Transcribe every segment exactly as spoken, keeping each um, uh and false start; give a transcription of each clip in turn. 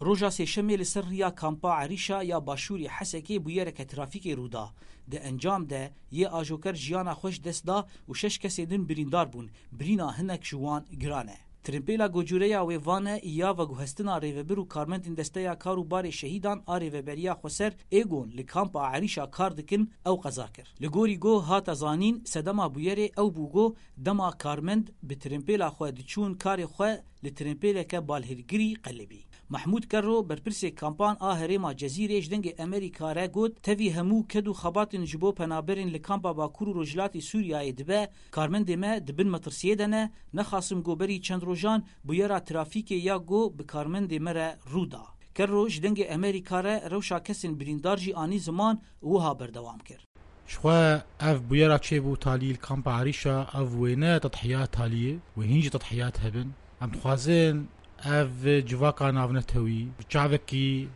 Roja Sêşemê li ser riya kampa Erîşa ya başûrê Hesekê bûyereke trafîkê rû da. Di encam de yê ajoker jiyana xwe ji dest da û şeş kesê din birîndar bûn. Birîna hinek ji wan giran e. Tirimpêla Gocûreya wê vane ya veguhestina rêvebir û karmendên Desteya Kar û Barê Şehîdan a Rêveberiya Xweser ê gon li kampa Erîşa kar dikin ew qeza kir. Li gorî go hate zanîn, sedema bûyerê ew bû go dema karmend bi tirimpêla xwe diçûn karê xwe li tirimpêleke balhêlgirî qelibî. Mehmûd Kerro, berpirsê kampan a herêma Cezîrê ji Dengê Amerîka re got, tevî hemû ked û xebatên ji bo penaberên li kampa Bakur û Rojhilatê Sûriyeyê dibe, karmendê me di bin metirsiyê de ne, nexasim go berî çend rojan bûyera trafîkê ya go bi karmendê me re rû da. Kerro ji Dengê Amerîka re rewşa kesên birîndar jî anî ziman û wiha berdewam kir. Jixwe ev bûyera çêbû talî li kampa Erîşa, ev wêne tedhiyat talî ye, wê hîn jî tedhiyat hebin. Em dixwazin ev civaka navnetewî bi çavekî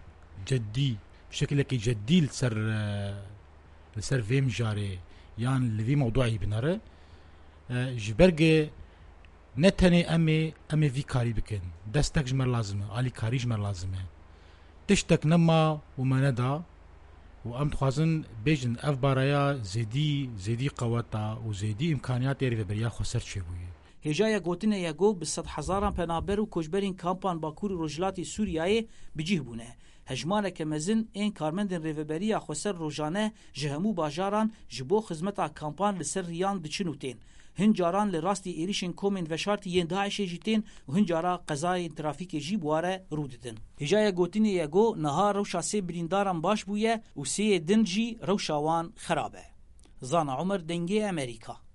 ceddî, bi şekilekî ceddî li ser, e, li ser vê mijarê yan li vî mewduî binere. E, ji ber ge ne tenê em ê, em ê vî karî bikin. Destek ji me lazim e, alîkarî ji me lazim e. Tiştek nema û me neda û em dixwazin bêjin ev baraya zêdî, zêdî qeweta û zêdî îmkaniyatê Rêveberiya Xweser çêbûye. Hêjaya gotinê ye ku bi sedhezaran penaber û koçberên kampan Bakur û Rojhilatê Sûriyeyê bi cih bûne. Hejmareke mezin ên karmendên Rêveberiya Xweser rojane ji hemû bajaran ji bo xizmeta kampan li ser riyan diçin û tên. Hin caran li rastî êrişên komên veşartî yên DAIŞê jî tên û hin cara qezayên trafîkê jî bi wa re rû didin. Hêjaya gotinê ye ku niha rewşa sê birîndaran baş bûye û sêyê din jî rewşa wan xerab e. Zana Omer, Dengê Amerîka.